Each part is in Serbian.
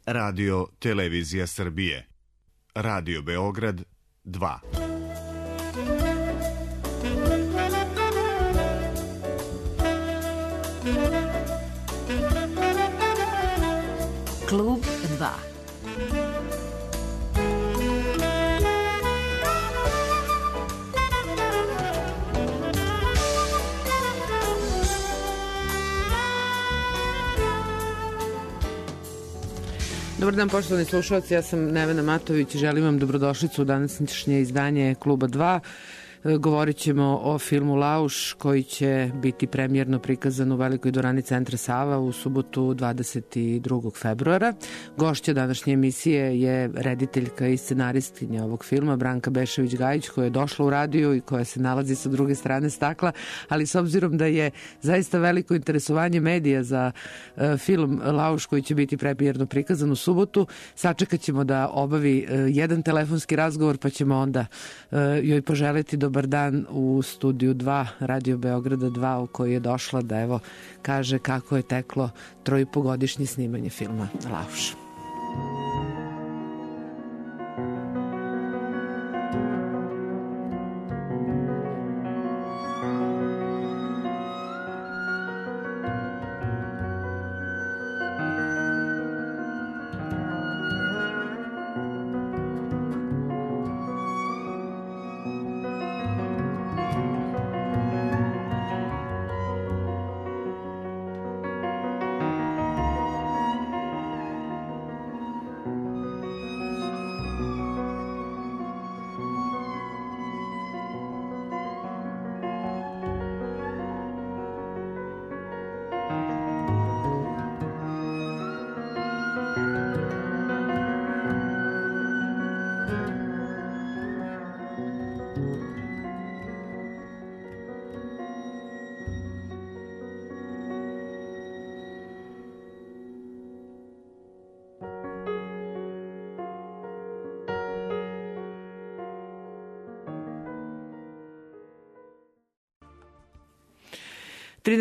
Radio Televizija Srbije. Radio Beograd 2. Klub 2. Dobar dan, poštovani slušalci, ja sam Nevena Matović i želim vam dobrodošlicu u današnje izdanje Kluba 2. Govorit ćemo o filmu Lauš koji će biti premijerno prikazan u Velikoj dvorani Centra Sava u subotu 22. februara. Gošća današnje emisije je rediteljka i scenaristkinja ovog filma Branka Bešević-Gajić, koja je došla u radio i koja se nalazi sa druge strane stakla, ali s obzirom da je zaista veliko interesovanje medija za film Lauš koji će biti premijerno prikazan u subotu, sačekat ćemo da obavi jedan telefonski razgovor, pa ćemo onda joj poželeti dobar dan u studiju 2 Radio Beograda 2 u koji je došla da evo kaže kako je teklo 3,5-godišnje snimanje filma Lauš.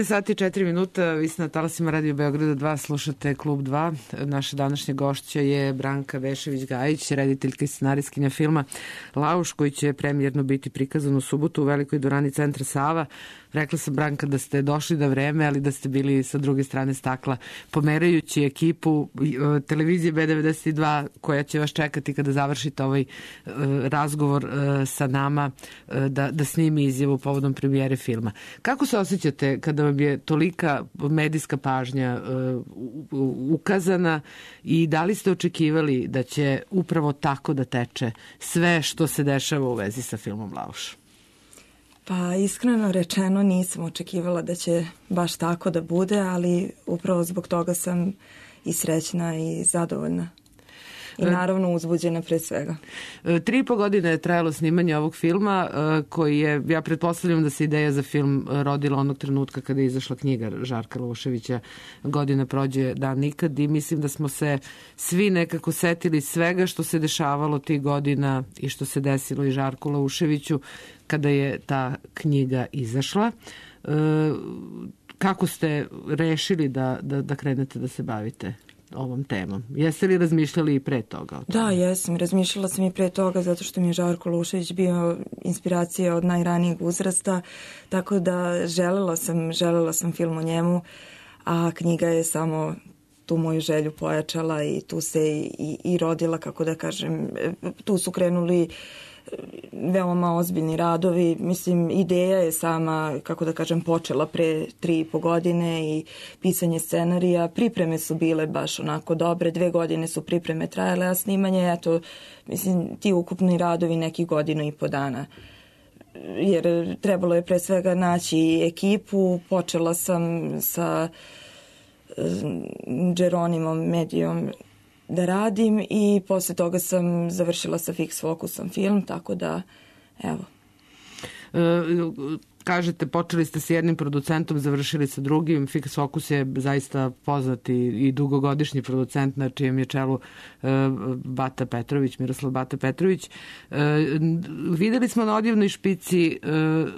Sati i 4 minuta, vi ste na talasima Radio Beograda 2, slušate Klub 2. Naša današnja gošća je Branka Bešević-Gajić, rediteljka i scenaristkinja filma Lauš, koji će premijerno biti prikazan u subotu u Velikoj dvorani Centra Sava. Rekla sam, Branka, da ste došli da vreme, ali da ste bili sa druge strane stakla, pomerajući ekipu televizije B92 koja će vas čekati kada završite ovaj razgovor sa nama da snimi izjavu povodom premijere filma. Kako se osjećate kada vam je tolika medijska pažnja ukazana i da li ste očekivali da će upravo tako da teče sve što se dešava u vezi sa filmom Lauš? Pa iskreno rečeno nisam očekivala da će baš tako da bude, ali upravo zbog toga sam i srećna i zadovoljna. I naravno uzbuđena pre svega. 3,5 godine je trajalo snimanje ovog filma koji je, ja pretpostavljam da se ideja za film rodila onog trenutka kada je izašla knjiga Žarka Lauševića Godina prođe dan nikad, i mislim da smo se svi nekako setili svega što se dešavalo tih godina i što se desilo i Žarku Lauševiću kada je ta knjiga izašla. Kako ste rešili da krenete da se bavite ovom temom? Jeste li razmišljali i pre toga? Da, jesam. Razmišljala sam i pre toga zato što mi je Žarko Laušević bio inspiracija od najranijeg uzrasta, tako da želela sam film o njemu, a knjiga je samo tu moju želju pojačala i tu se i rodila, kako da kažem, tu su krenuli veoma ozbiljni radovi. Mislim, ideja je sama, kako da kažem, počela pre 3,5 godine i pisanje scenarija. Pripreme su bile baš onako dobre, 2 godine su pripreme trajale, a snimanje, eto, mislim, ti ukupni radovi nekih 1,5 dana. Jer trebalo je pre svega naći ekipu. Počela sam sa Jeronimom Medijom da radim i posle toga sam završila sa Fix Focusom film, tako da, evo. kažete, počeli ste s jednim producentom, završili sa drugim. Fix Focus je zaista poznat i dugogodišnji producent na čijem je čelu Bata Petrović, Miroslav Bata Petrović. Videli smo na Odjevnoj špici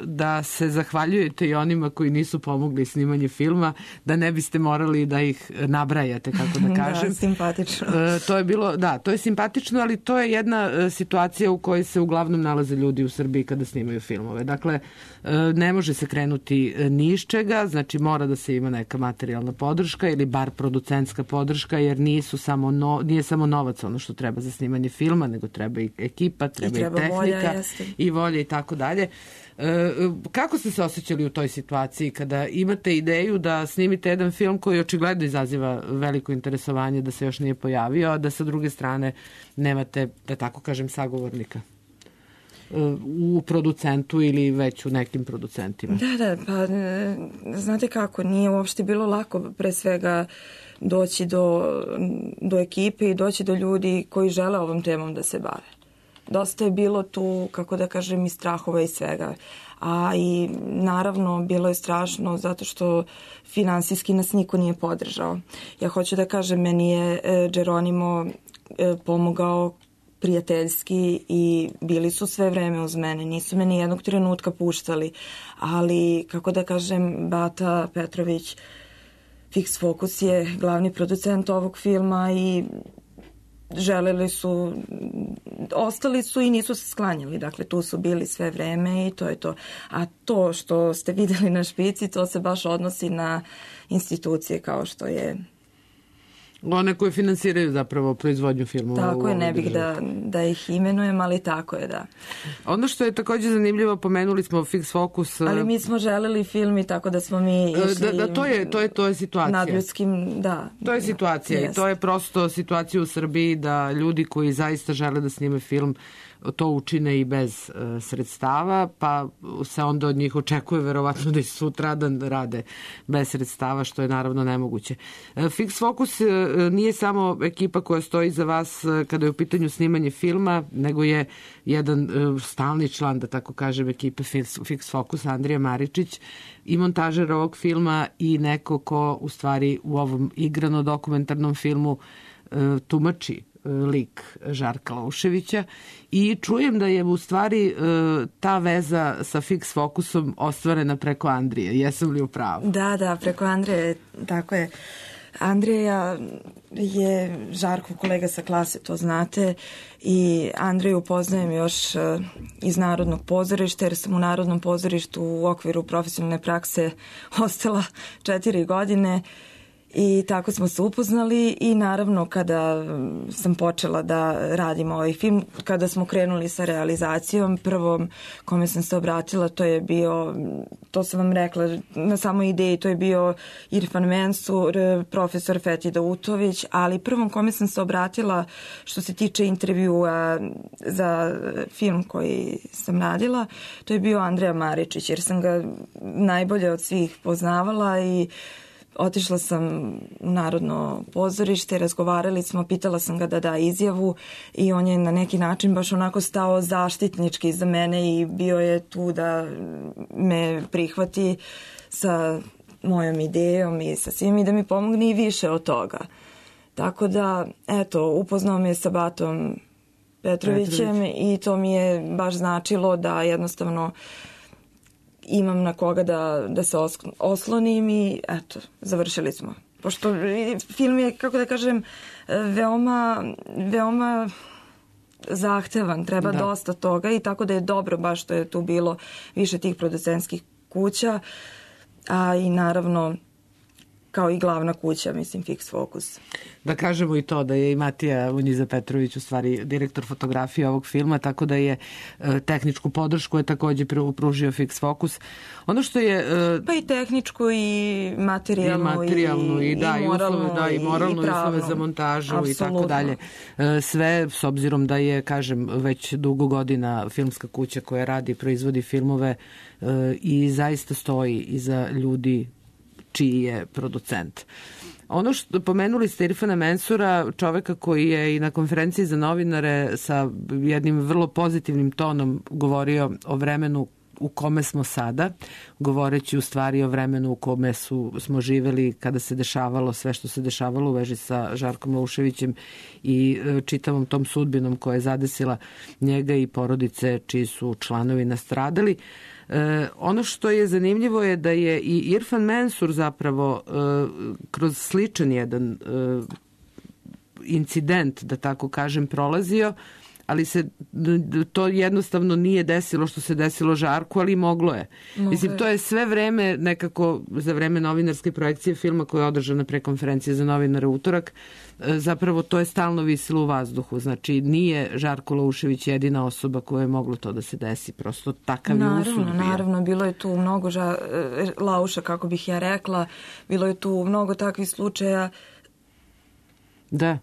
da se zahvaljujete i onima koji nisu pomogli snimanje filma, da ne biste morali da ih nabrajate, kako da kažem. Da, simpatično. To je bilo, da, to je simpatično, ali to je jedna situacija u kojoj se uglavnom nalaze ljudi u Srbiji kada snimaju filmove. Dakle, ne može se krenuti ni iz čega, znači mora da se ima neka materijalna podrška ili bar producentska podrška, jer nije samo novac ono što treba za snimanje filma, nego treba i ekipa, treba i tehnika volja, i volje i tako dalje. Kako ste se osjećali u toj situaciji kada imate ideju da snimite jedan film koji očigledno izaziva veliko interesovanje, da se još nije pojavio, a da sa druge strane nemate, da tako kažem, sagovornika u producentu ili već u nekim producentima? Da, pa znate kako, nije uopšte bilo lako pre svega doći do ekipe i doći do ljudi koji žele ovom temom da se bave. Dosta je bilo tu, kako da kažem, i strahova i svega. A i naravno bilo je strašno zato što finansijski nas niko nije podržao. Ja hoću da kažem, meni je Geronimo pomogao prijateljski i bili su sve vreme uz mene. Nisu me ni jednog trenutka puštali. Ali, kako da kažem, Bata Petrović, Fix Focus je glavni producent ovog filma i želeli su, ostali su i nisu se sklanjali. Dakle, tu su bili sve vreme i to je to. A to što ste videli na špici, to se baš odnosi na institucije kao što je one koje finansiraju zapravo proizvodnju filmova. Tako je, ne bih da ih imenujem, ali tako je, da. Ono što je također zanimljivo, pomenuli smo Fix Focus. Ali mi smo želeli film i tako da smo mi išli... To je situacija. Nadljudskim, da. To je situacija i to je prosto situacija u Srbiji da ljudi koji zaista žele da snime film to učine i bez sredstava, pa se onda od njih očekuje verovatno da i sutradan rade bez sredstava, što je naravno nemoguće. Fix Focus nije samo ekipa koja stoji za vas kada je u pitanju snimanje filma, nego je jedan stalni član, da tako kažem, ekipe Fix Focus, Andrija Maričić, i montažer ovog filma i neko ko u stvari u ovom igrano dokumentarnom filmu tumači lik Žarka Lauševića i čujem da je u stvari ta veza sa Fix Focusom ostvarena preko Andrije. Jesam li u pravu? Da, preko Andrije, tako je. Andrija je Žarkov kolega sa klase, to znate, i Andreju poznajem još iz Narodnog pozorišta, jer sam u Narodnom pozorištu u okviru profesionalne prakse ostala 4 godine. I tako smo se upoznali i naravno kada sam počela da radim ovaj film, kada smo krenuli sa realizacijom, prvom kome sam se obratila, to je bio, to sam vam rekla na samoj ideji, to je bio Irfan Mensur, profesor Fethi Dautović, ali prvom kome sam se obratila što se tiče intervjua za film koji sam radila, to je bio Andrija Maričić, jer sam ga najbolje od svih poznavala i otišla sam u Narodno pozorište, razgovarali smo, pitala sam ga da da izjavu i on je na neki način baš onako stao zaštitnički za mene i bio je tu da me prihvati sa mojom idejom i sa svim i da mi pomogne i više od toga. Tako da, eto, upoznao me sa Batom Petrovićem i to mi je baš značilo da jednostavno imam na koga da se oslonim i eto, završili smo. Pošto film je, kako da kažem, veoma zahtevan, treba dosta toga i tako da je dobro baš što je tu bilo više tih producentskih kuća, a i naravno kao i glavna kuća, mislim, Fix Focus. Da kažemo i to da je i Matija Unjiza Petrović u stvari direktor fotografije ovog filma, tako da je tehničku podršku je također pružio Fix Focus. Ono što je... Pa i tehničku i materijalnu i moralnu uslove za montažu. Absolutno. I tako dalje. Sve s obzirom da je, kažem, već dugo godina filmska kuća koja radi i proizvodi filmove i zaista stoji iza ljudi čiji je producent. Ono što pomenuli ste Irfana Mensura, čoveka koji je i na konferenciji za novinare sa jednim vrlo pozitivnim tonom govorio o vremenu u kome smo sada, govoreći u stvari o vremenu u kome smo živeli kada se dešavalo sve što se dešavalo u vezi sa Žarkom Lauševićem i čitavom tom sudbinom koja je zadesila njega i porodice čiji su članovi nastradali. Ono što je zanimljivo je da je i Irfan Mensur zapravo kroz sličan jedan incident, da tako kažem, prolazio, ali se to jednostavno nije desilo što se desilo Žarku, ali moglo je. Mislim, to je sve vreme nekako za vreme novinarske projekcije filma koja je održana pre konferencije za novinare utorak, zapravo to je stalno visilo u vazduhu. Znači, nije Žarko Laušević jedina osoba koja je moglo to da se desi. Prosto takav je usud bio. Naravno, bilo je tu mnogo Lauša, kako bih ja rekla, bilo je tu mnogo takvih slučaja. Da,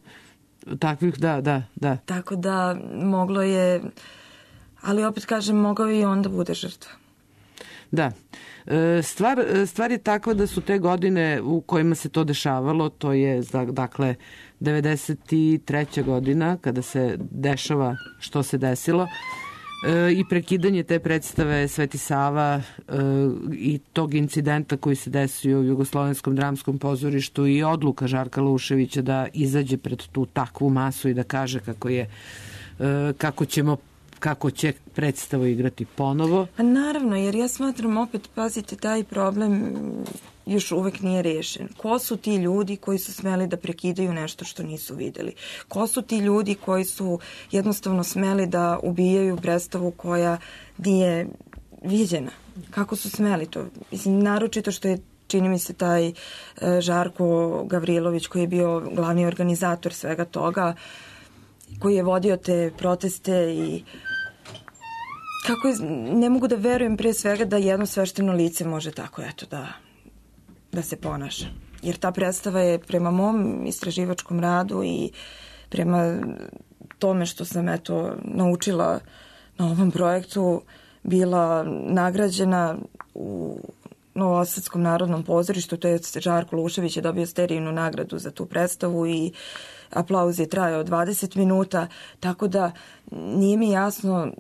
takvih, da. Tako da moglo je, ali opet kažem, mogao i on da bude žrtva. Da. Stvar je takva da su te godine u kojima se to dešavalo, to je dakle 93. godina kada se dešava što se desilo, i prekidanje te predstave Sveti Sava i tog incidenta koji se desio u Jugoslovenskom dramskom pozorištu i odluka Žarka Lauševića da izađe pred tu takvu masu i da kaže kako će predstavu igrati ponovo. Pa naravno, jer ja smatram, opet, pazite, taj problem još uvek nije rešen. Ko su ti ljudi koji su smeli da prekidaju nešto što nisu videli? Ko su ti ljudi koji su jednostavno smeli da ubijaju predstavu koja nije viđena? Kako su smeli to? Mislim, naročito što je, čini mi se, taj Žarko Gavrilović, koji je bio glavni organizator svega toga, koji je vodio te proteste i kako je, ne mogu da verujem pre svega da jedno svešteno lice može tako, eto, da se ponaša. Jer ta predstava je prema mom istraživačkom radu i prema tome što sam, eto, naučila na ovom projektu, bila nagrađena u Novosadskom narodnom pozorištu, to je Žarko Laušević je dobio Sterijinu nagradu za tu predstavu i aplauz je trajao 20 minuta, tako da nije mi jasno,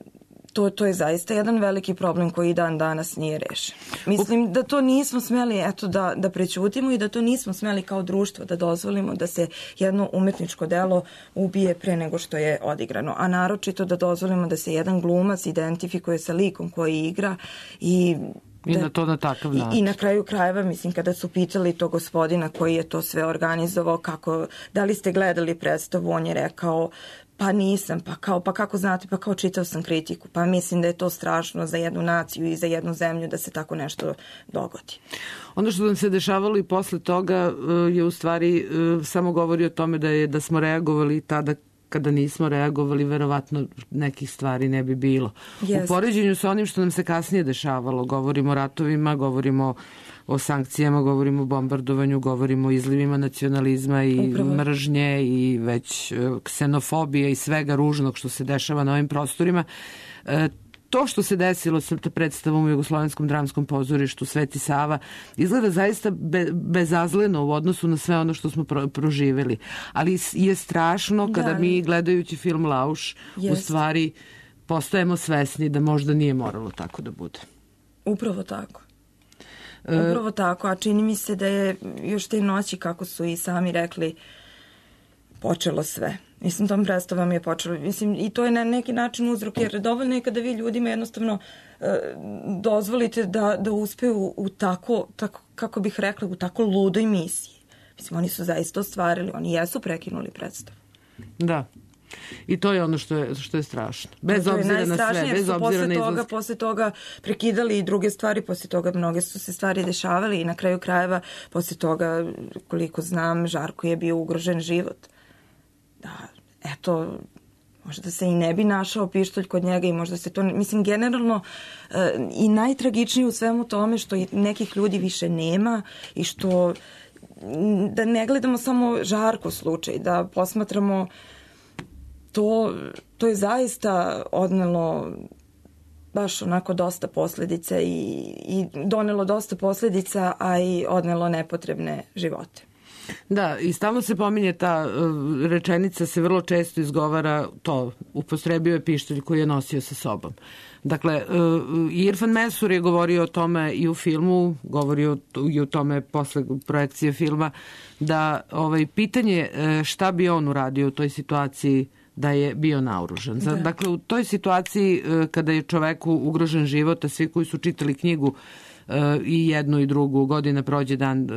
to je zaista jedan veliki problem koji i dan danas nije rešen. Mislim da to nismo smeli, eto, da prećutimo i da to nismo smeli kao društvo da dozvolimo da se jedno umetničko delo ubije pre nego što je odigrano, a naročito da dozvolimo da se jedan glumac identifikuje sa likom koji igra i na to na takav način. I na kraju krajeva, mislim, kada su pitali to gospodina koji je to sve organizovao, da li ste gledali predstavu, on je rekao, pa nisam, pa kako znate, pa kao čitao sam kritiku, pa mislim da je to strašno za jednu naciju i za jednu zemlju da se tako nešto dogodi. Ono što nam se dešavalo i posle toga je u stvari samo govori o tome da smo reagovali tada. Kada nismo reagovali, verovatno nekih stvari ne bi bilo. U poređenju sa onim što nam se kasnije dešavalo, govorimo o ratovima, govorimo o sankcijama, govorimo o bombardovanju, govorimo o izlivima nacionalizma i mržnje i već ksenofobije i svega ružnog što se dešava na ovim prostorima. To što se desilo sa predstavom u Jugoslovenskom dramskom pozorištu Sveti Sava izgleda zaista bezazleno u odnosu na sve ono što smo proživeli. Ali je strašno kada mi, gledajući film Lauš, u stvari postajemo svesni da možda nije moralo tako da bude. Upravo tako, a čini mi se da je još te noći, kako su i sami rekli, počelo sve. Mislim, tom predstavom je počelo. Mislim, i to je na neki način uzrok, jer dovoljno je kada vi ljudima jednostavno dozvolite da uspeju u tako, kako bih rekla, u tako ludoj misiji. Mislim, oni su zaista ostvarili, oni jesu prekinuli predstavu. Da. I to je ono što je strašno. Bez obzira na sve, bez obzira na izlazke. Posle toga prekidali i druge stvari, posle toga mnoge su se stvari dešavali i na kraju krajeva, posle toga, koliko znam, Žarko je bio ugrožen život. Da, eto, možda se i ne bi našao pištolj kod njega i možda se to, mislim, generalno i najtragičnije u svemu tome što nekih ljudi više nema i što, da ne gledamo samo Žarko slučaj, da posmatramo to je zaista odnelo baš onako dosta posledica i donelo dosta posledica, a i odnelo nepotrebne živote. Da, i stalno se pominje ta rečenica, se vrlo često izgovara to, upotrebio je pištolj koji je nosio sa sobom. Dakle, Irfan Mensur je govorio o tome i u filmu, govorio i o tome posle projekcije filma, da pitanje šta bi on uradio u toj situaciji da je bio naoružan. Da. Dakle, u toj situaciji kada je čoveku ugrožen život, a svi koji su čitali knjigu i jednu i drugu, Godina prođe dan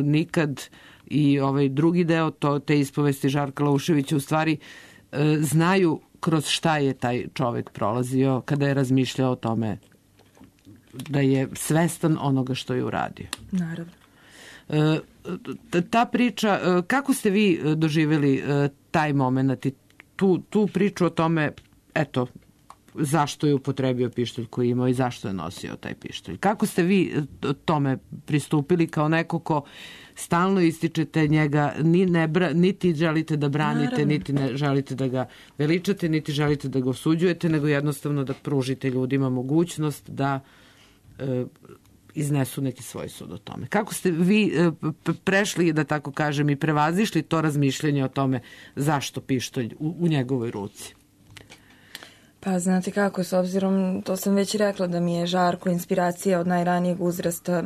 nikad, i drugi deo te ispovesti Žarka Lauševića, u stvari znaju kroz šta je taj čovek prolazio kada je razmišljao o tome da je svestan onoga što je uradio. Naravno. Ta priča, kako ste vi doživjeli taj moment i tu priču o tome, eto, zašto je upotrebio pištolj koji imao i zašto je nosio taj pištolj? Kako ste vi tome pristupili kao neko ko stalno ističete njega, niti želite da branite, naravno, niti ne želite da ga veličate, niti želite da ga osuđujete, nego jednostavno da pružite ljudima mogućnost da iznesu neki svoj sud o tome. Kako ste vi prešli, da tako kažem, i prevazišli to razmišljanje o tome zašto pištolj u njegovoj ruci? Pa znate kako, s obzirom, to sam već rekla, da mi je Žarko inspiracija od najranijeg uzrasta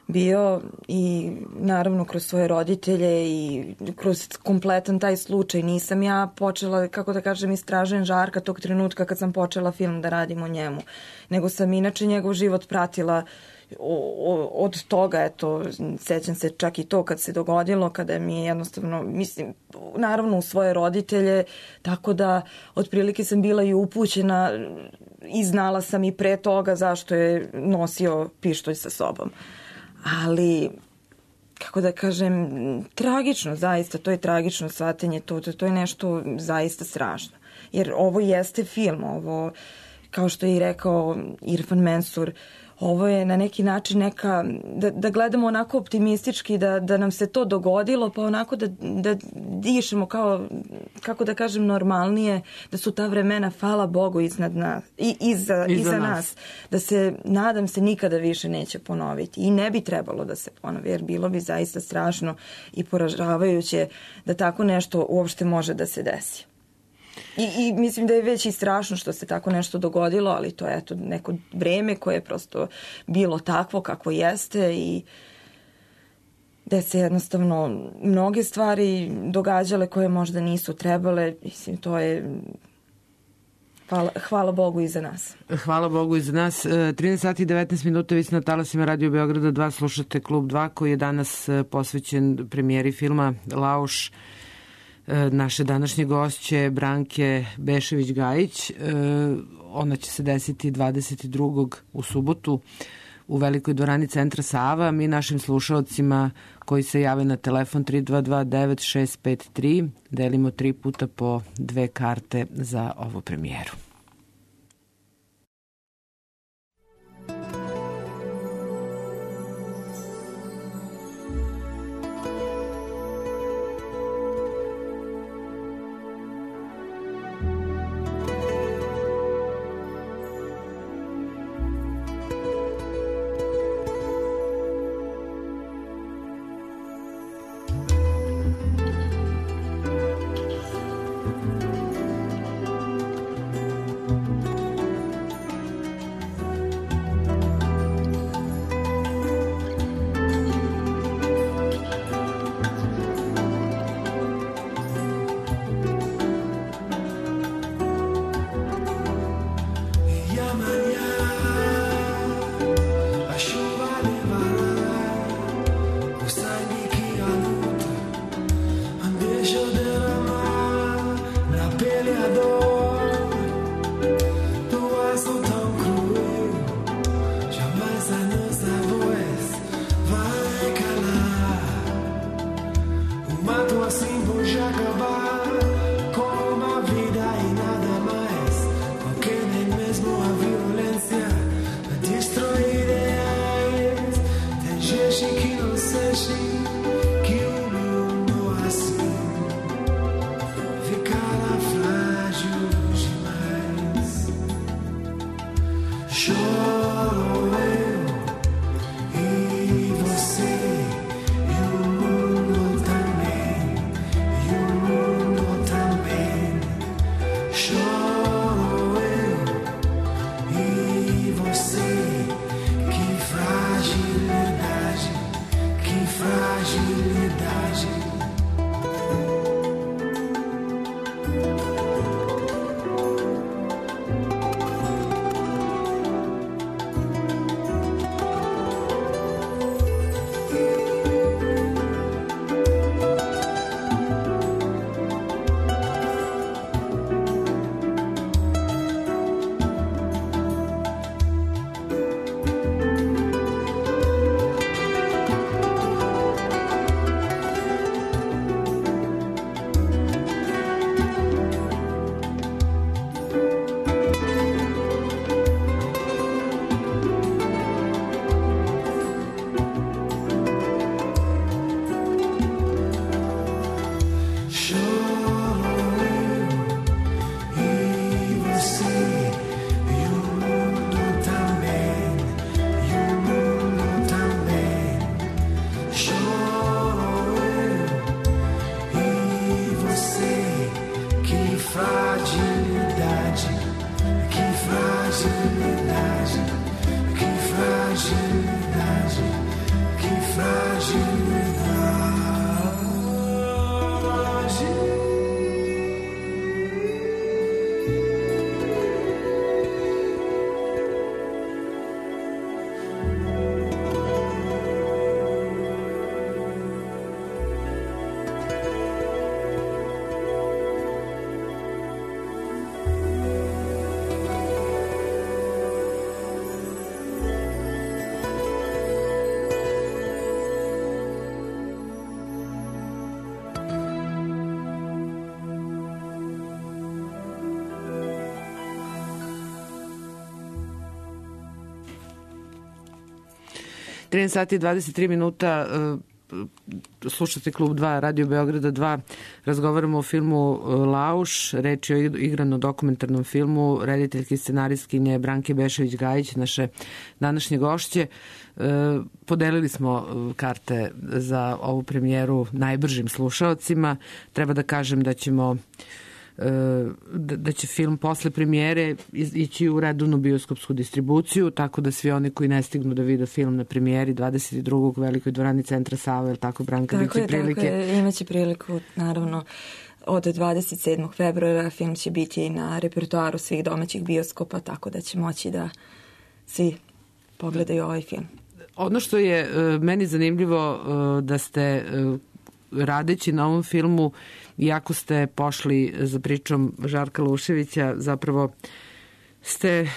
bio, i naravno kroz svoje roditelje i kroz kompletan taj slučaj. Nisam ja počela, kako da kažem, istražujem Žarka tog trenutka kad sam počela film da radim o njemu, nego sam inače njegov život pratila od toga, eto, sećam se čak i to kad se dogodilo, kada mi je jednostavno, mislim, naravno u svoje roditelje, tako da otprilike sam bila i upućena i znala sam i pre toga zašto je nosio pištolj sa sobom. Ali, kako da kažem, tragično, zaista, to je tragično shvatanje, to je nešto zaista strašno. Jer ovo jeste film, ovo, kao što je i rekao Irfan Mensur, ovo je na neki način neka, da gledamo onako optimistički, da nam se to dogodilo, pa onako da dišemo kao, kako da kažem, normalnije, da su ta vremena, hvala Bogu, iznad nas, iza nas, da se, nadam se, nikada više neće ponoviti. I ne bi trebalo da se ponovi, jer bilo bi zaista strašno i poražavajuće da tako nešto uopšte može da se desi. I mislim da je već i strašno što se tako nešto dogodilo, ali to je eto neko vreme koje je prosto bilo takvo kako jeste i da se jednostavno mnoge stvari događale koje možda nisu trebale. Mislim, to je hvala Bogu i za nas. Hvala Bogu i za nas. 13 sati i 19 minuta, vi ste na talasima Radio Beograda 2, slušate Klub 2 koji je danas posvećen premijeri filma Lauš. Naše današnje gošće Branke Bešević-Gajić. Ona će se desiti 22. u subotu u velikoj dvorani Centra Sava. Mi našim slušalcima koji se jave na telefon 322-9653 delimo 3 puta po 2 karte za ovu premijeru. 13 sati i 23 minuta, slušate Klub 2, Radio Beograda 2, razgovaramo o filmu Lauš, reč je o igrano dokumentarnom filmu, rediteljke i scenaristkinje Branke Bešević-Gajić, naše današnje gošće. Podelili smo karte za ovu premijeru najbržim slušaocima. Treba da kažem da će film posle premijere ići u redovnu bioskopsku distribuciju, tako da svi oni koji ne stignu da vide film na premijeri 22. u Velikoj dvorani Centra Sava, je li tako, Branka, biće prilike? Tako je, imaće priliku, naravno, od 27. februara film će biti na repertoaru svih domaćih bioskopa, tako da će moći da svi pogledaju ovaj film. Ono što je meni zanimljivo da ste radeći na ovom filmu, iako ste pošli za pričom Žarka Luševića, zapravo ste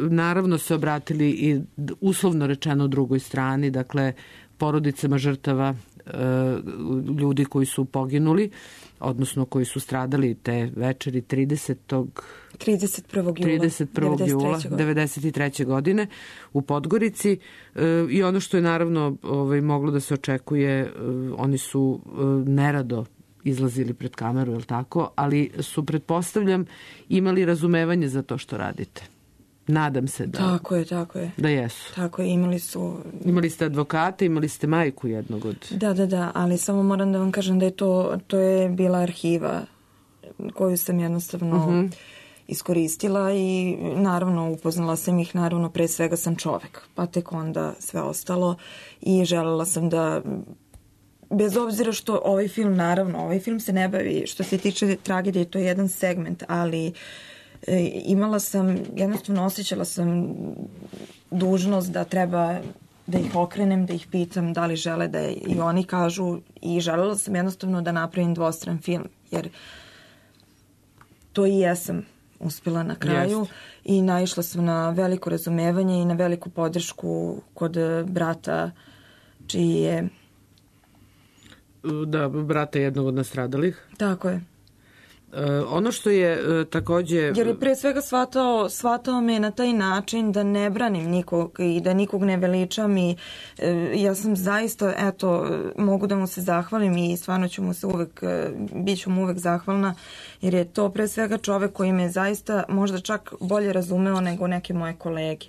naravno se obratili i uslovno rečeno drugoj strani, dakle porodicama žrtava, ljudi koji su poginuli, odnosno koji su stradali te večeri 31. jula 1993. godine u Podgorici. I ono što je naravno moglo da se očekuje, oni su nerado izlazili pred kameru, je li tako? Ali su, pretpostavljam, imali razumevanje za to što radite. Nadam se da... Tako je. Da jesu. Tako je, imali su... Imali ste advokata, imali ste majku jednog od... Da, ali samo moram da vam kažem da je to je bila arhiva koju sam jednostavno iskoristila i naravno upoznala sam ih, naravno pre svega sam čovek, pa tek onda sve ostalo i želela sam da... Bez obzira što ovaj film se ne bavi, što se tiče tragedije, to je jedan segment, ali imala sam, jednostavno osjećala sam dužnost da treba da ih okrenem, da ih pitam da li žele da i oni kažu, i želela sam jednostavno da napravim dvostran film, jer to i jesam uspela na kraju i naišla sam na veliko razumevanje i na veliku podršku kod brata čiji je... Da, brata jednog od nastradalih. Tako je. Ono što je takođe... Jer je pre svega shvatao me na taj način da ne branim nikog i da nikog ne veličam i ja sam zaista, mogu da mu se zahvalim i stvarno ću mu se bit ću mu uvek zahvalna, jer je to pre svega čovek koji me zaista možda čak bolje razumeo nego neke moje kolege.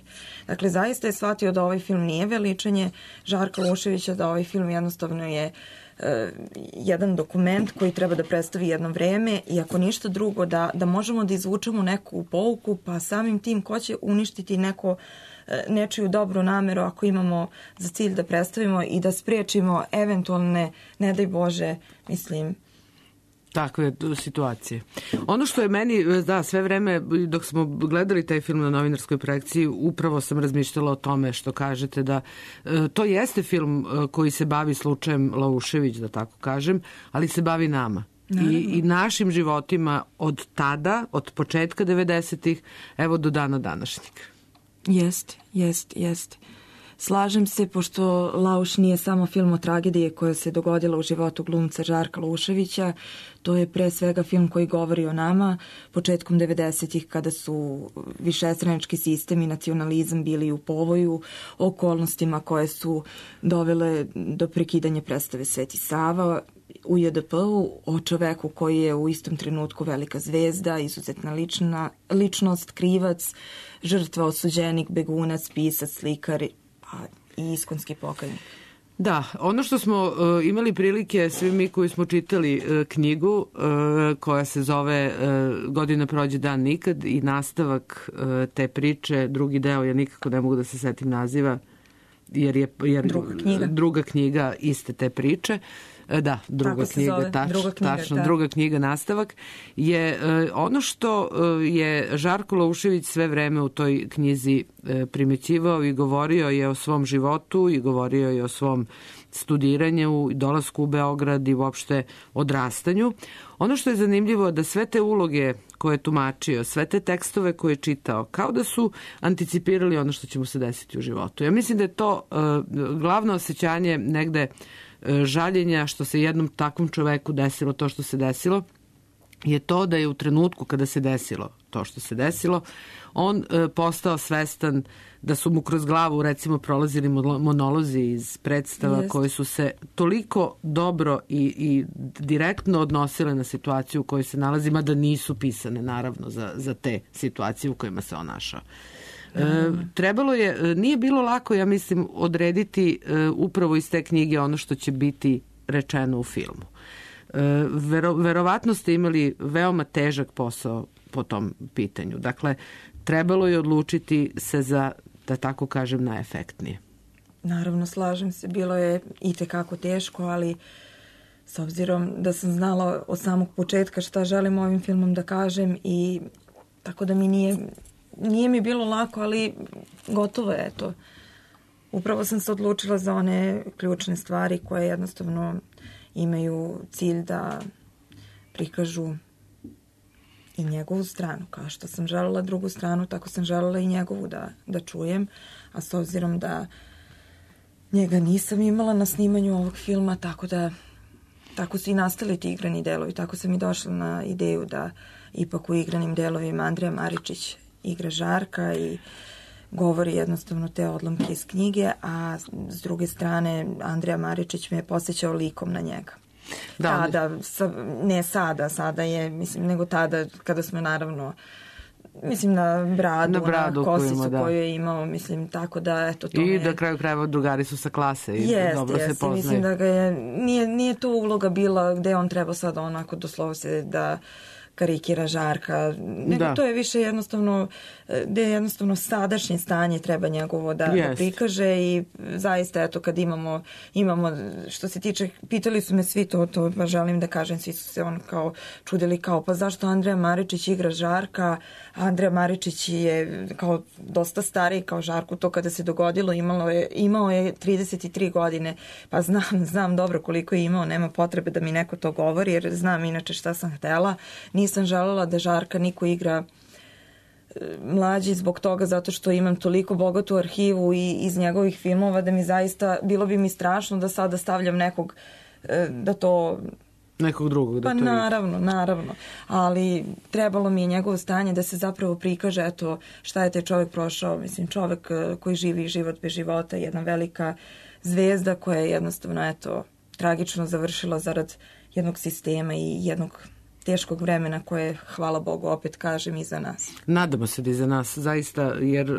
Dakle, zaista je shvatio da ovaj film nije veličanje Žarka Luševića, da ovaj film jednostavno je jedan dokument koji treba da predstavi jedno vreme i ako ništa drugo da možemo da izvučemo neku pouku, pa samim tim ko će uništiti nečiju dobru nameru ako imamo za cilj da predstavimo i da spriječimo eventualne, ne daj Bože, takve situacije. Ono što je meni, sve vreme dok smo gledali taj film na novinarskoj projekciji, upravo sam razmišljala o tome što kažete, da to jeste film koji se bavi slučajem Laušević, da tako kažem, ali se bavi nama. I našim životima od tada, od početka 90-ih, evo do dana današnjeg. Jeste. Slažem se, pošto Lauš nije samo film o tragediji koja se dogodila u životu glumca Žarka Luševića, to je pre svega film koji govori o nama početkom 90-ih kada su višestranački sistem i nacionalizam bili u povoju, okolnostima koje su dovele do prekidanja predstave Sveti Sava u JDP-u, o čoveku koji je u istom trenutku velika zvezda, izuzetna ličnost, krivac, žrtva, osuđenik, begunac, pisac, slikar i iskonski pokajnik. Da, ono što smo imali prilike, svi mi koji smo čitali knjigu koja se zove Godina prođe, dan nikad, i nastavak te priče, drugi deo, ja nikako ne mogu da se setim naziva, jer druga knjiga iste te priče. Da, druga knjiga, nastavak, je ono što je Žarko Lušević sve vreme u toj knjizi primećivao i govorio je o svom životu i govorio je o svom studiranju, dolasku u Beograd i uopšte odrastanju. Ono što je zanimljivo je da sve te uloge koje je tumačio, sve te tekstove koje je čitao, kao da su anticipirali ono što će mu se desiti u životu. Ja mislim da je to glavno osjećanje negde žaljenja što se jednom takvom čoveku desilo to što se desilo, je to da je u trenutku kada se desilo to što se desilo, on postao svestan da su mu kroz glavu recimo prolazili monolozi iz predstava koji su se toliko dobro i direktno odnosile na situaciju u kojoj se nalazi, mada nisu pisane naravno za te situacije u kojima se on našao. Trebalo je, nije bilo lako, ja mislim, odrediti upravo iz te knjige ono što će biti rečeno u filmu. Verovatno ste imali veoma težak posao po tom pitanju. Dakle, trebalo je odlučiti se za, da tako kažem, najefektnije. Naravno, slažem se. Bilo je itekako teško, ali s obzirom da sam znala od samog početka šta želim ovim filmom da kažem i tako da mi nije mi bilo lako, ali gotovo je to. Upravo sam se odlučila za one ključne stvari koje jednostavno imaju cilj da prikažu i njegovu stranu. Kao što sam želela drugu stranu, tako sam želela i njegovu da čujem. A s obzirom da njega nisam imala na snimanju ovog filma, tako su i nastali ti igrani delovi. Tako sam i došla na ideju da ipak u igranim delovima Andrija Maričić igra Žarka i govori jednostavno te odlomke iz knjige, a s druge strane Andrija Maričić me je posjećao likom na njega. Sada je, mislim, nego tada kada smo naravno, mislim na bradu na kosicu koju je imao, mislim, tako da, eto, to i da kraju krajeva drugari su sa klase i dobro se poznaju. Mislim da ga je, nije to uloga bila gde on treba sad onako doslovno se da karikira Žarka, nego to je više jednostavno, gde jednostavno sadašnje stanje treba njegovo da prikaže i zaista, eto, kad imamo, što se tiče, pitali su me svi to pa želim da kažem, svi su se on kao čudili kao, pa zašto Andrija Maričić igra Žarka, Andrija Maričić je kao dosta stariji kao Žarku, to kada se dogodilo, imao je 33 godine, pa znam dobro koliko je imao, nema potrebe da mi neko to govori, jer znam inače šta sam htela. Nisam želela da Žarka niko igra mlađi zbog toga, zato što imam toliko bogatu arhivu i iz njegovih filmova da mi zaista, bilo bi mi strašno da sada stavljam nekog da to... Nekog drugog da to... Pa naravno. Ali trebalo mi je njegovo stanje da se zapravo prikaže, eto, šta je taj čovjek prošao. Mislim, čovjek koji živi život bez života, jedna velika zvezda koja je jednostavno, eto, tragično završila zarad jednog sistema i jednog teškog vremena koje, hvala Bogu, opet kažem, iza nas. Nadamo se da iza nas, zaista, jer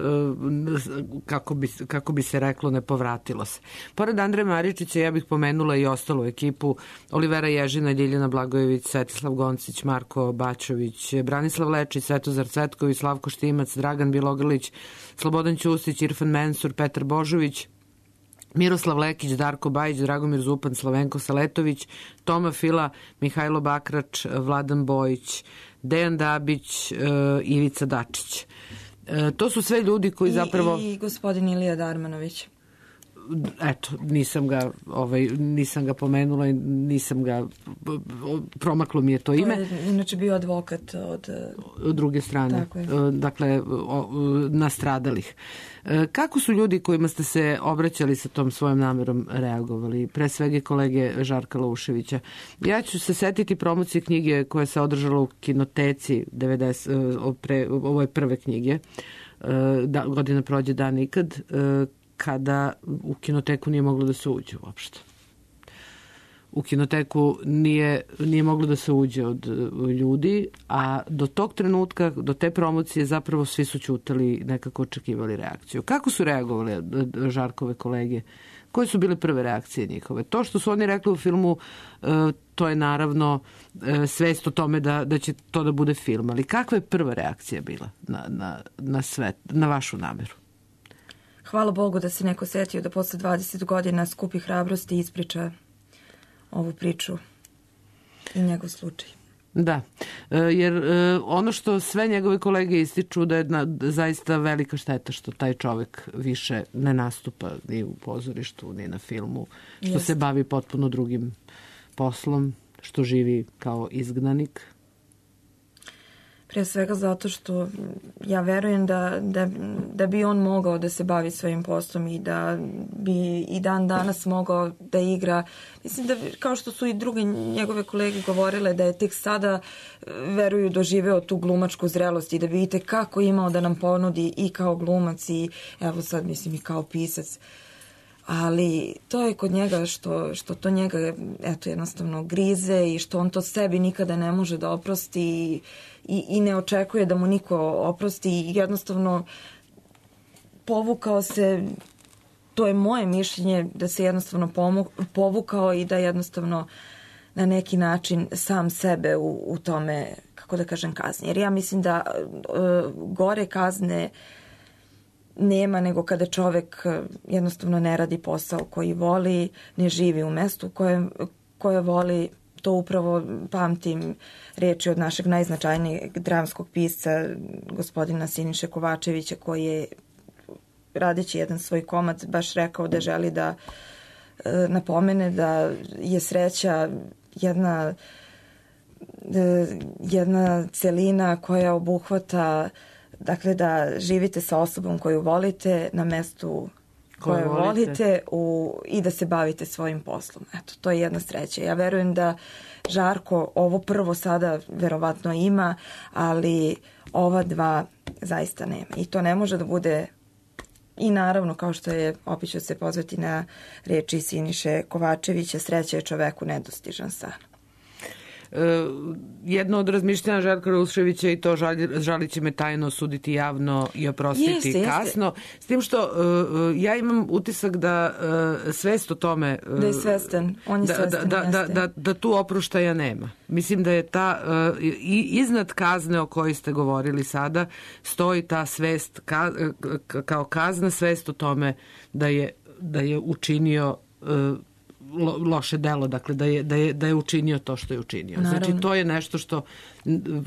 kako bi se reklo, ne povratilo se. Pored Andreja Maričića, ja bih pomenula i ostalu ekipu: Olivera Ježina, Ljiljana Blagojević, Svetislav Goncić, Marko Bačović, Branislav Lečić, Svetozar Cvetković, Slavko Štimac, Dragan Bilogrlić, Slobodan Ćustić, Irfan Mensur, Petar Božović, Miroslav Lekić, Darko Bajić, Dragomir Zupan, Slavenko Saletović, Toma Fila, Mihajlo Bakrač, Vladan Bojić, Dejan Dabić, Ivica Dačić. To su sve ljudi koji zapravo... I gospodin Ilija Darmanović. Eto, nisam ga pomenula i nisam ga... Promaklo mi je to ime. To je inače bio advokat od druge strane. Dakle, nastradalih. Kako su ljudi kojima ste se obraćali sa tom svojom namerom reagovali? Pre svega kolege Žarka Lauševića. Ja ću se setiti promocije knjige koja se održala u Kinoteci ove prve knjige. Godina prođe, dan nikad, kada u Kinoteku nije moglo da se uđe uopšte. U Kinoteku nije moglo da se uđe od ljudi, a do tog trenutka, do te promocije, zapravo svi su ćutali, nekako očekivali reakciju. Kako su reagovali Žarkove kolege? Koje su bile prve reakcije njihove? To što su oni rekli u filmu, to je naravno svest o tome da će to da bude film. Ali kakva je prva reakcija bila na svet, na vašu nameru? Hvala Bogu da se neko setio da posle 20 godina skupi hrabrosti i ispriča ovu priču i njegov slučaj. Da, jer ono što sve njegove kolege ističu da je zaista velika šteta što taj čovjek više ne nastupa ni u pozorištu, ni na filmu, što se bavi potpuno drugim poslom, što živi kao izgnanik. Prije svega zato što ja verujem da bi on mogao da se bavi svojim poslom i da bi i dan danas mogao da igra. Mislim da, kao što su i druge njegove kolege govorile, da je tek sada, veruju, doživeo tu glumačku zrelost i da bi vidite kako imao da nam ponudi i kao glumac i evo sad mislim i kao pisac. Ali to je kod njega što to njega eto jednostavno grize i što on to sebi nikada ne može da oprosti i ne očekuje da mu niko oprosti i jednostavno povukao se, to je moje mišljenje, da se jednostavno povukao i da jednostavno na neki način sam sebe u tome, kako da kažem, kazni. Jer ja mislim da gore kazne nema nego kada čovek jednostavno ne radi posao koji voli, ne živi u mestu koje voli. To upravo pamtim reči od našeg najznačajnijeg dramskog pisca, gospodina Siniše Kovačevića, koji je, radeći jedan svoj komad, baš rekao da želi da napomene da je sreća jedna celina koja obuhvata, dakle, da živite sa osobom koju volite na mestu koje volite i da se bavite svojim poslom. Eto, to je jedna sreća. Ja verujem da Žarko ovo prvo sada verovatno ima, ali ova dva zaista nema. I to ne može da bude, i naravno, kao što je, opet ću se pozvati na reči Siniše Kovačevića, sreća je čoveku nedostižan san. Jedno od razmišljanja Žarka Ruševića i to žalit će me tajno, suditi javno i oprostiti kasno. S tim što ja imam utisak da svest o tome... Da je svestan, on je svestan. Da tu oproštaja nema. Mislim da je ta, iznad kazne o kojoj ste govorili sada, stoji ta svest kao kazna, svest o tome da je učinio loše delo, dakle da je učinio to što je učinio. Naravno. Znači to je nešto što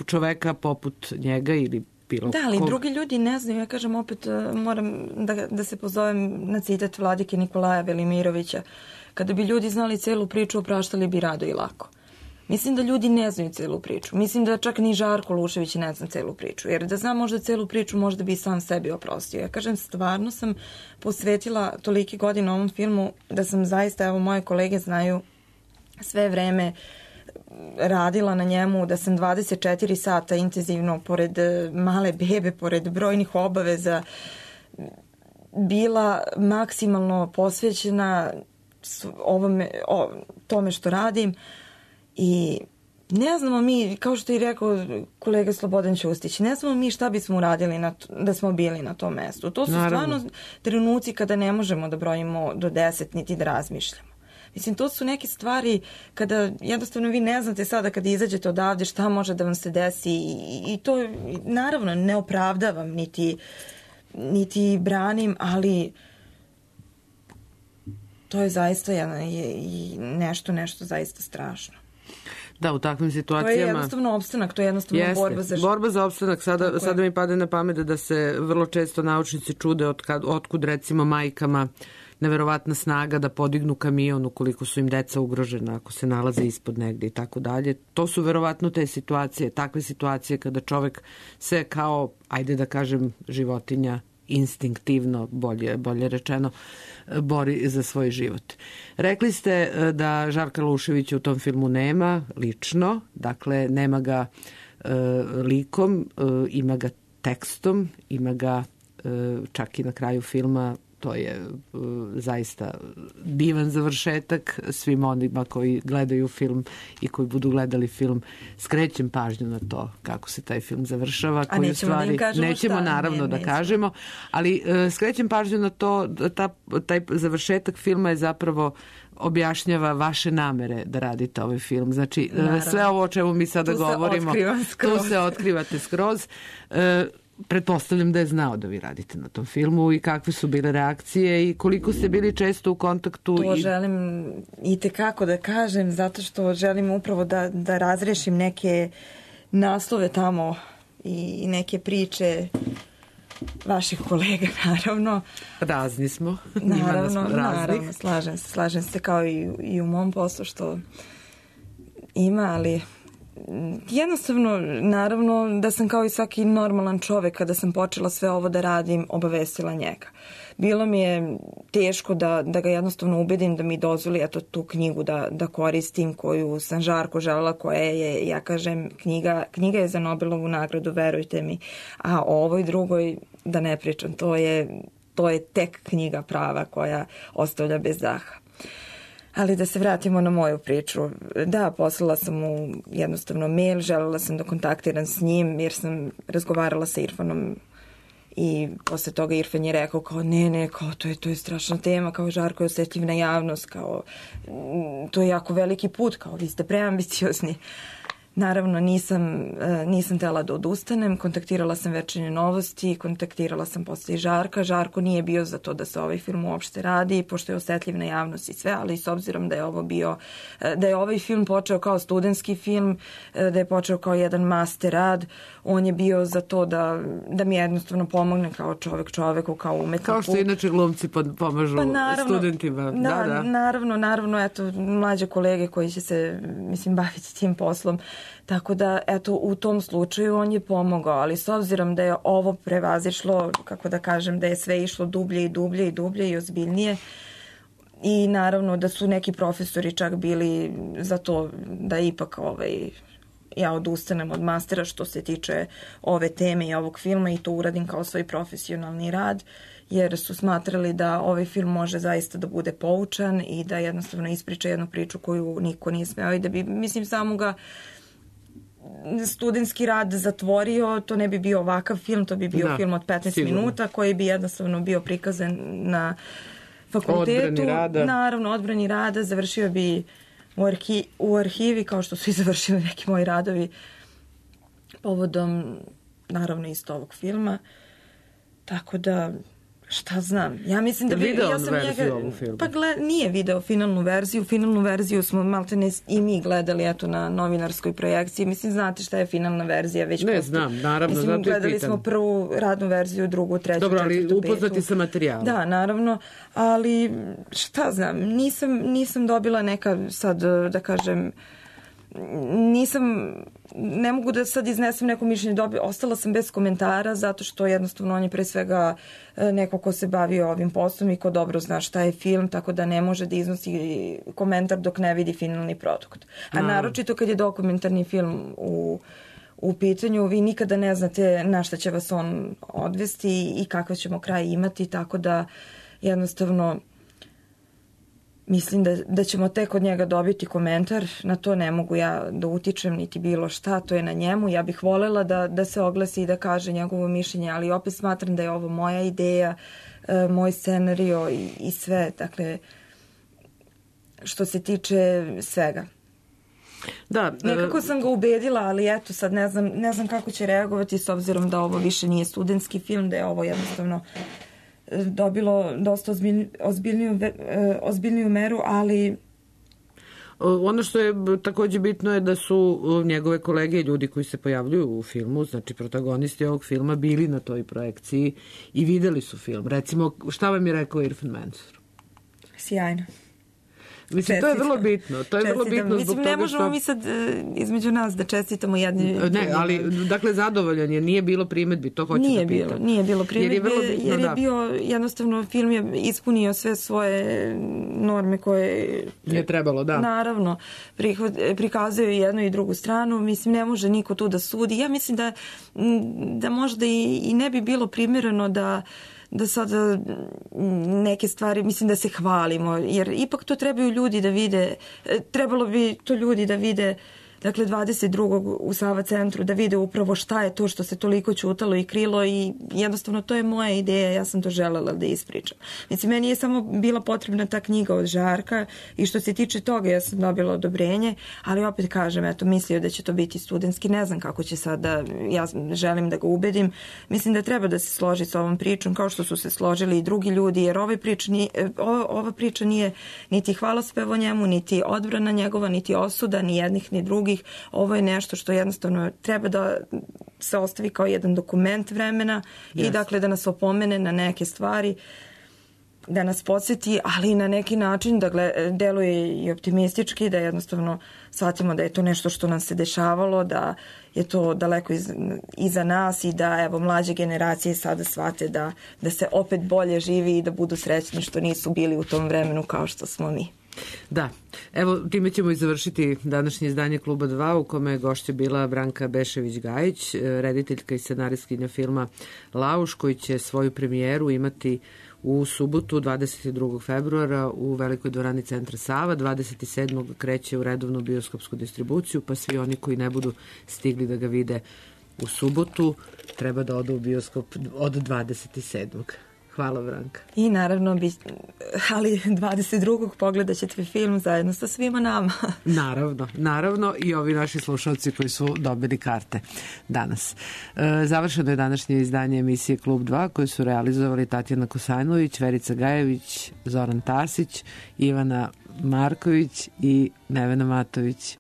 čoveka poput njega ili bilo da, ali drugi ljudi ne znaju. Ja kažem opet, moram da se pozovem na citat vladike Nikolaja Velimirovića. Kada bi ljudi znali celu priču, opraštali bi rado i lako. Mislim da ljudi ne znaju celu priču. Mislim da čak ni Žarko Lušević ne zna celu priču. Jer da znam možda celu priču, možda bi i sam sebi oprostio. Ja kažem, stvarno sam posvetila toliki godina ovom filmu da sam zaista, evo moje kolege znaju, sve vreme radila na njemu, da sam 24 sata intenzivno, pored male bebe, pored brojnih obaveza, bila maksimalno posvećena tome što radim. I ne znamo mi, kao što je rekao kolega Slobodan Ćustić, ne znamo mi šta bismo uradili da smo bili na tom mestu. To su stvarno trenuci kada ne možemo da brojimo do 10 niti da razmišljamo. Mislim, to su neke stvari kada jednostavno vi ne znate sada kada izađete odavde šta može da vam se desi i to naravno ne opravdavam niti branim, ali to je zaista nešto zaista strašno. Da, u takvim situacijama... To je jednostavno opstanak, to je jednostavno borba za... Borba za opstanak. Sada mi pade na pamet da se vrlo često naučnici čude otkud recimo majkama neverovatna snaga da podignu kamion ukoliko su im deca ugrožena, ako se nalaze ispod negde i tako dalje. To su verovatno te situacije, takve situacije kada čovek se kao, ajde da kažem, životinja instinktivno, bolje rečeno, bori za svoj život. Rekli ste da Žarka Luševića u tom filmu nema lično, dakle nema ga likom, ima ga tekstom, ima ga čak i na kraju filma. To je zaista divan završetak svim onima koji gledaju film i koji budu gledali film. Skrećem pažnju na to kako se taj film završava. A nećemo da im kažemo nećemo šta. Naravno da kažemo, ali skrećem pažnju na to da taj završetak filma je zapravo objašnjava vaše namere da radite ovaj film. Znači, sve ovo o čemu mi sada govorimo, tu se otkrivate skroz. Pretpostavljam da je znao da vi radite na tom filmu i kakve su bile reakcije i koliko ste bili često u kontaktu. To želim i tekako da kažem, zato što želim upravo da razrešim neke naslove tamo i neke priče vaših kolega, naravno. Razni smo. Naravno, slažem se kao i u mom poslu što ima, ali Jednostavno, naravno da sam kao i svaki normalan čovek kada sam počela sve ovo da radim, obavestila njega. Bilo mi je teško da ga jednostavno ubedim da mi dozvoli eto tu knjigu da koristim koju sam žarko želela, koja je, ja kažem, knjiga je za Nobelovu nagradu, verujte mi, a o ovoj drugoj da ne pričam, to je tek knjiga prava koja ostavlja bez daha. Ali da se vratimo na moju priču. Da, poslala sam mu jednostavno mail, želela sam da kontaktiram s njim jer sam razgovarala sa Irfanom i posle toga Irfan je rekao kao ne, kao to je strašna tema, kao Žarko je osetljiv na javnost, kao to je jako veliki put, kao vi ste preambiciozni. Naravno, nisam tela da odustanem, kontaktirala sam Večernje novosti, kontaktirala sam posle i Žarka. Žarko nije bio za to da se ovaj film uopšte radi, pošto je osetljiv na javnost i sve, ali s obzirom da je ovaj film počeo kao studentski film, da je počeo kao jedan master rad, on je bio za to da mi jednostavno pomogne kao čoveku, kao umetniku. Kao što inače glumci pomažu studentima. Da. Naravno, eto, mlađe kolege koji će se, baviti tim poslom. Tako da, eto, u tom slučaju on je pomogao, ali s obzirom da je ovo prevazišlo, kako da kažem, da je sve išlo dublje i ozbiljnije, i naravno da su neki profesori čak bili za to da ipak ja odustanem od mastera što se tiče ove teme i ovog filma i to uradim kao svoj profesionalni rad, jer su smatrali da ovaj film može zaista da bude poučan i da jednostavno ispriča jednu priču koju niko nije smeo i da bi, samo ga studentski rad zatvorio, to ne bi bio ovakav film, to bi bio film od 15 minuta koji bi jednostavno bio prikazan na fakultetu. Naravno, odbrani rada, završio bi u arhivi, kao što su i završili neki moji radovi povodom, naravno, isto ovog filma. Tako da, šta znam, ja mislim da bi... Video ja sam verziju ovog filma? Pa nije video finalnu verziju smo maltene i mi gledali eto na novinarskoj projekciji, znate šta je finalna verzija već ne znam, naravno, gledali smo prvu radnu verziju, drugu, treću, dobro, ali četvrtu, upoznati sa materijalom. Da, naravno, ali šta znam, nisam dobila neka sad, da kažem, ne mogu da sad iznesem neko mišljenje, ostala sam bez komentara zato što jednostavno on je pre svega neko ko se bavio ovim poslom i ko dobro zna šta je film, tako da ne može da iznosi komentar dok ne vidi finalni produkt. A naročito kad je dokumentarni film u pitanju, vi nikada ne znate na šta će vas on odvesti i kakav ćemo kraj imati, tako da jednostavno mislim da ćemo tek od njega dobiti komentar, na to ne mogu ja da utičem niti bilo šta, to je na njemu. Ja bih volela da se oglasi i da kaže njegovo mišljenje, ali opet smatram da je ovo moja ideja, moj scenario i sve, dakle, što se tiče svega. Da, nekako sam ga ubedila, ali eto sad ne znam kako će reagovati s obzirom da ovo više nije studentski film, da je ovo jednostavno dobilo dosta ozbiljniju meru, ali... Ono što je takođe bitno je da su njegove kolege i ljudi koji se pojavljuju u filmu, znači protagonisti ovog filma, bili na toj projekciji i videli su film. Recimo, šta vam je rekao Irfan Mensur? Sjajno. Mislim, to je vrlo bitno. To je vrlo bitno zbog toga ne možemo mi sad između nas da čestitamo jedni... Ne, ali, dakle, zadovoljan je. Nije bilo primedbi, to hoću da pitam. Nije bilo primedbi, jer je bio, jednostavno, film je ispunio sve svoje norme koje... Je trebalo, da. Naravno, prikazuje jednu i drugu stranu. Mislim, ne može niko tu da sudi. Ja mislim da možda i ne bi bilo primjereno da sada neke stvari, mislim da se hvalimo, jer ipak to trebaju ljudi da vide, trebalo bi to ljudi da vide, dakle 22. u Sava centru, da vide upravo šta je to što se toliko ćutalo i krilo i jednostavno to je moja ideja, ja sam to želela da ispričam. Mislim, meni je samo bila potrebna ta knjiga od Žarka i što se tiče toga ja sam dobila odobrenje, ali opet kažem, eto, mislio da će to biti studentski, ne znam kako će sada, ja želim da ga ubedim, mislim da treba da se složi sa ovom pričom, kao što su se složili i drugi ljudi, jer ova priča nije niti hvalospev o njemu, niti odbrana njegova, niti osuda, ni jednih, ni drugih. Ovo je nešto što jednostavno treba da se ostavi kao jedan dokument vremena i dakle da nas opomene na neke stvari. da nas podsjeti, ali na neki način da deluje i optimistički, da jednostavno shvatimo da je to nešto što nam se dešavalo, da je to daleko iza nas i da evo mlađe generacije sada shvate da se opet bolje živi i da budu srećni što nisu bili u tom vremenu kao što smo mi. Da, evo time ćemo i završiti današnje izdanje Kluba 2 u kome je gošća bila Branka Bešević-Gajić, rediteljka i scenaristkinja filma Lauš, koji će svoju premijeru imati u subotu 22. februara u Velikoj dvorani Centra Sava. 27. kreće u redovnu bioskopsku distribuciju, pa svi oni koji ne budu stigli da ga vide u subotu treba da odu u bioskop od 27. Hvala, Branka. I naravno, ali 22. pogledat ćete film zajedno sa svima nama. Naravno i ovi naši slušalci koji su dobili karte danas. Završeno je današnje izdanje emisije Klub 2 koje su realizovali Tatjana Kosanović, Verica Gajević, Zoran Tasić, Ivana Marković i Nevena Matović.